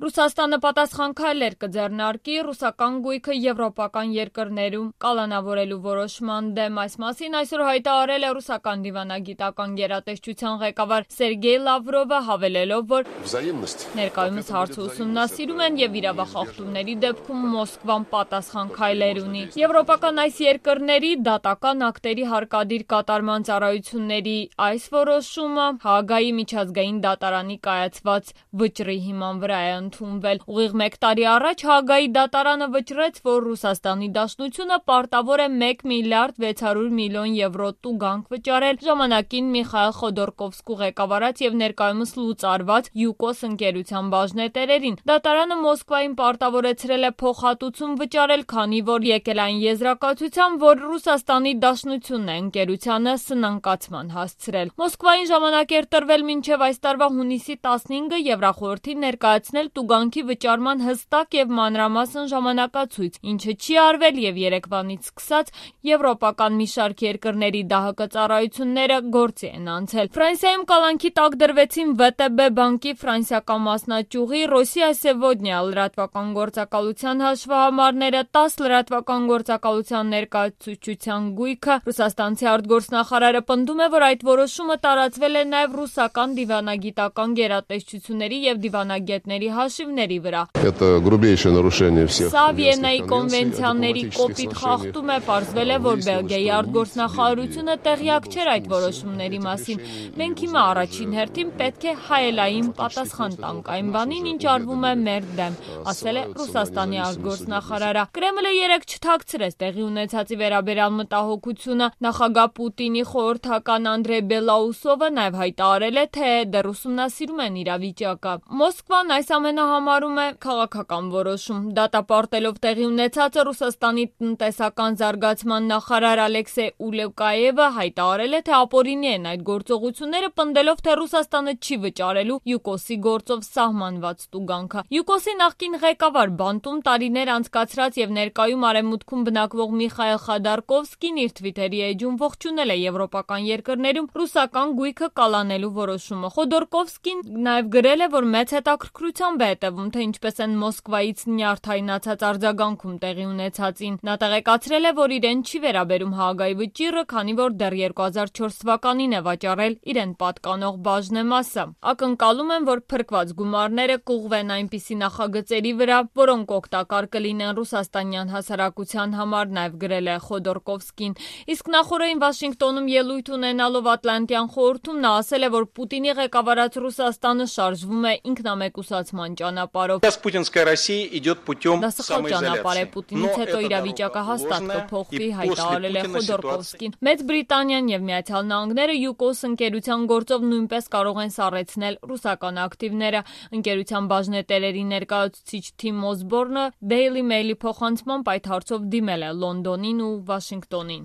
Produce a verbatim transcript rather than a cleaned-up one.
Ռուսաստանը պատասխան քայլեր կձեռնարկի ռուսական գույքը եվրոպական երկրներում կալանավորելու որոշման դեմ։ Այս մասին այսօր հայտարարել է ռուսական դիվանագիտական գերատեսչության ղեկավար Սերգեյ Լավրովը, հավելելով, որ ներկայումս հարցը ուսումնասիրում են եւ իրավախախտումների դեպքում Մոսկվան պատասխան քայլեր ունի։ Եվրոպական այս երկրների դատական ակտերի հարկադիր կատարման ծառայությունների այս որոշումը Հաագայի միջազգային դատարանի կայացված վճռի հիման վրա է ընդունվել։ Ուղիղ մեկ տարի առաջ Հաագայի դատարանը վճռեց, որ Ռուսաստանի Դաշնությունը պարտավոր է մեկ միլիարդ վեց հարյուր միլիոն եվրո տուգանք վճարել ժամանակին Միխայիլ Խոդորկովսկու ղեկավարած եւ ներկայումս լուծարված ՅՈՒԿՕՍ ընկերության բաժնետերերին։ Դատարանը Մոսկվային պարտավորեցրել է փոխհատուցում վճարել, քանի որ եկել այն եզրակացության, որ Ռուսաստանի Դաշնությունն է ընկերությանը սնանկացման հասցրել։ Մոսկվային ժամանակ էր տրվել մինչև այս տարվա հունիսի տասնհինգը Եվրախորհրդին ներկայացնել տուգանքի վճարման հստակ եւ մանրամասն ժամանակացույց, ինչը չի արվել եւ երեկվանից սկսած եվրոպական մի շարք երկրների ԴԱՀԿ ծառայությունները գործի են անցել։ Ֆրանսիայում կալանքի տակ դրվեցին ՎՏԲ բանկի ֆրանսիական մասնաճյուղի Ռոսիա Սևոդնիա լրատվական գործակալության հաշվահամարները, տաս լրատվական գործակալության ներկայացուցչության գույքը։ Ռուսաստանցի արտգործնախարարը պնդում է, որ այդ որոշումը տարածվել է նաեւ ռուսական դիվանագիտական գերատեսչությունների եւ դիվանագետների հաշիվների վրա։ Սա Վիեննայի կոնվենցիաների կոպիտ խախտում է, պարզվել է, որ Բելգիայի արտգործնախարարությունը տեղյակ չէր այդ որոշումների մասին։ Մենք հիմա առաջին հերթին պետք է հայելային պատասխան տանք այն բանին, ինչ արվում է մեր դեմ, ասել է Ռուսաստանի արտգործնախարարը։ Կրեմլը երեկ չթաքցրեց տեղի ունեցածի վերաբերյալ մտահոգությունը։ Նախագահ Պուտինի խորհրդական Անդրեյ Բելաուսովը նաեւ հայտարարել է, թե դեռ ուսումնասիրում են իրավիճակը։ Մոսկվան այս ամենը համարում է քաղաքական որոշում։ Դատապարտելով տեղի ունեցածը Ռուսաստանի տնտեսական զարգացման նախարար Ալեքսեյ Ուլեկաևը հայտարարել է, թե ապօրինի են այդ գործողությունները, պնդելով, թե Ռուսաստանը չի վճարելու ՅՈՒԿՕՍ-ի գործով սահմանված տուգանքը։ ՅՈՒԿՕՍ-ի նախկին ղեկավար բանտում տարիներ անցկացրած եւ ներկայում արևմուտքում բնակվող Միխայիլ Խոդորկովսկին իր թվիթերի էջում ողջունել է եվրոպական երկրներում ռուսական գույքը կալանելու որոշումը։ Խոդորկովսկին նաեւ գրել է, որ մեծ հետաքրքրությամբ է հետևում, թե ինչպես են Մոսկվայից նյարդայնացած արձագանքում տեղի ունեցածին։ Նա տեղեկացրել է, որ իրեն չի վերաբերում Հաագայի վճիռը, քանի որ դեռ երկու հազար չորս թվականին է վաճառել իրեն պատկանող բաժնեմասը։ Ակնկալում են, որ փրկված գումարները կուղղվեն այնպիսի նախագծերի վրա, որոնք օգտակար կլինեն ռուսաստանյան հասարակության համար, նաեւ գրել է Խոդորկովսկին։ Իսկ նախորդին Վաշինգտոնում ելույթ ունենալով Ատլանտյան խորհրդում նա ասել է, որ Պուտինի ղեկավարած Ռուսաստանը շարժվում է ինքնամեկուսացման ճանապարհով։ Դա սխալ ճանապարհ է, Պուտինից հետո իրավիճակը հաստատ կփոխվի, հայտարարել է Խոդորկովսկին։ Մեծ Բրիտանիան եւ Միացյալ Նահանգները ՅՈՒԿՕՍ ընկերության գործով նույնպես կարող են սառեցնել ռուսական ակտիվները։ Ընկերության բաժնետերերի ներկայացուցիչ Թիմ Օսբորնը Daily Mail-ի փոխանցմամբ այդ հարցով դիմել է Լոնդոնին ու Վաշինգտոնին։